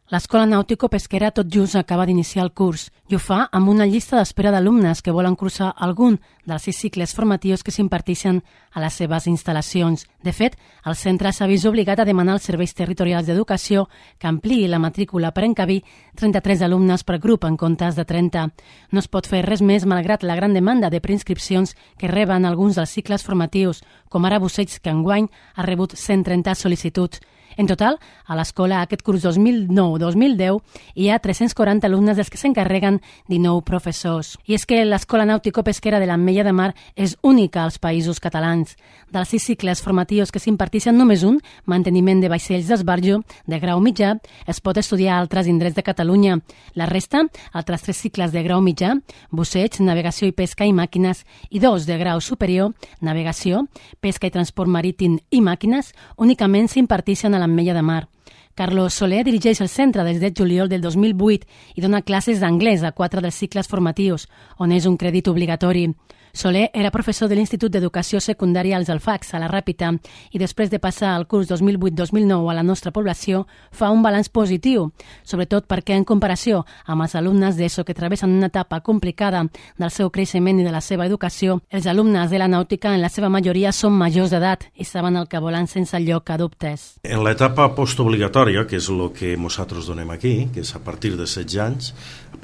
L'Escola Nàutico-Pesquera tot just acaba d'iniciar el curs i ho fa amb una llista d'espera d'alumnes que volen cursar algun dels 6 cicles formatius que s'imparteixen a les seves instal·lacions. De fet, el centre s'ha vist obligat a demanar als serveis territorials d'educació que ampliï la matrícula per encabir 33 alumnes per grup en comptes de 30. No es pot fer res més malgrat la gran demanda de preinscripcions que reben alguns dels cicles formatius, com ara Busseig, que enguany ha rebut 130 sol·licituds. En total, a l'escola aquest curs 2009-2010 hi ha 340 alumnes dels que s'encarreguen 19 professors. I és que l'Escola Nàutico-Pesquera de l'Ametlla de Mar és única als països catalans. Dels 6 cicles formatius que s'imparteixen només un, manteniment de vaixells d'esbarjo de grau mitjà, es pot estudiar a altres indrets de Catalunya. La resta, altres 3 cicles de grau mitjà, busseig, navegació i pesca i màquines, i 2 de grau superior, navegació, pesca i transport marítim i màquines, únicament s'imparteixen a l'Ametlla de Mar. Carlos Soler dirigeix el centre des de juliol del 2008 i dona classes d'anglès a 4 dels cicles formatius, on és un crèdit obligatori. Soler era professor de l'Institut d'Educació Secundària als Alfacs, a la Ràpita, i després de passar el curs 2008-2009 a la nostra població, fa un balanç positiu, sobretot perquè en comparació amb els alumnes d'ESO que travessen una etapa complicada del seu creixement i de la seva educació, els alumnes de la nàutica en la seva majoria són majors d'edat i saben el que volen sense lloc a dubtes. En l'etapa postobligatòria, que és el que nosaltres donem aquí, que és a partir de 16 anys,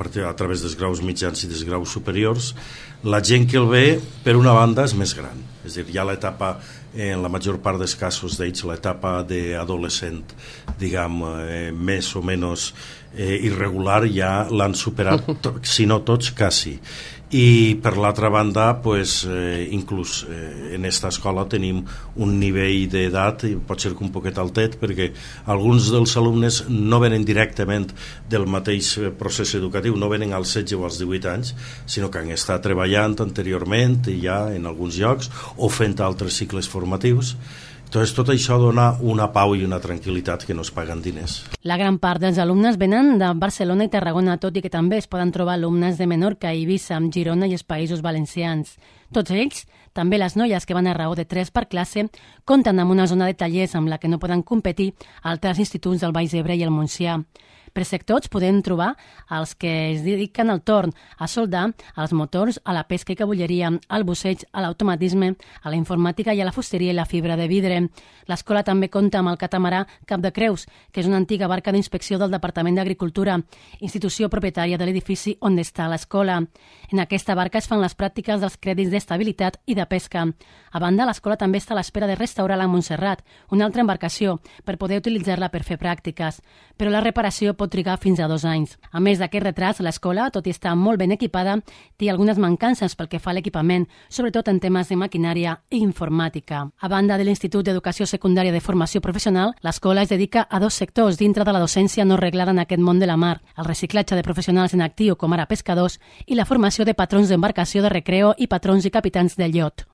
a través dels graus mitjans i dels graus superiors, la gent que el ve, per una banda, és més gran. És a dir, hi ha l'etapa, en la major part dels casos d'ells, l'etapa d'adolescent, diguem, més o menys irregular, ja l'han superat, si no tots, quasi. I per l'altra banda, pues, inclús en aquesta escola tenim un nivell d'edat, pot ser que un poquet altet, perquè alguns dels alumnes no venen directament del mateix procés educatiu, no venen als 16 o als 18 anys, sinó que han estat treballant anteriorment ja en alguns llocs o fent altres cicles formatius. Entonces, tot això dona una pau i una tranquil·litat que no es paguen diners. La gran part dels alumnes venen de Barcelona i Tarragona, tot i que també es poden trobar alumnes de Menorca, Eivissa, Girona i els Països Valencians. Tots ells, també les noies que van a raó de 3 per classe, compten amb una zona de tallers amb la que no poden competir altres instituts del Baix Ebre i el Montsià. Per sectors podem trobar els que es dediquen al torn, a soldar, als motors, a la pesca i cabulleria, al busseig, a l'automatisme, a la informàtica i a la fusteria i la fibra de vidre. L'escola també compta amb el catamarà Cap de Creus, que és una antiga barca d'inspecció del Departament d'Agricultura, institució propietària de l'edifici on està l'escola. En aquesta barca es fan les pràctiques dels crèdits d'estabilitat i de pesca. A banda, l'escola també està a l'espera de restaurar la Montserrat, una altra embarcació, per poder utilitzar-la per fer pràctiques. Però la reparació pot trigar fins a 2 anys. A més d'aquest retras, l'escola, tot i estar molt ben equipada, té algunes mancances pel que fa a l'equipament, sobretot en temes de maquinària i informàtica. A banda de l'Institut d'Educació Secundària de Formació Professional, l'escola es dedica a 2 sectors dintre de la docència no reglada en aquest món de la mar, el reciclatge de professionals en actiu com ara pescadors i la formació de patrons d'embarcació de recreo i patrons i capitans del iot.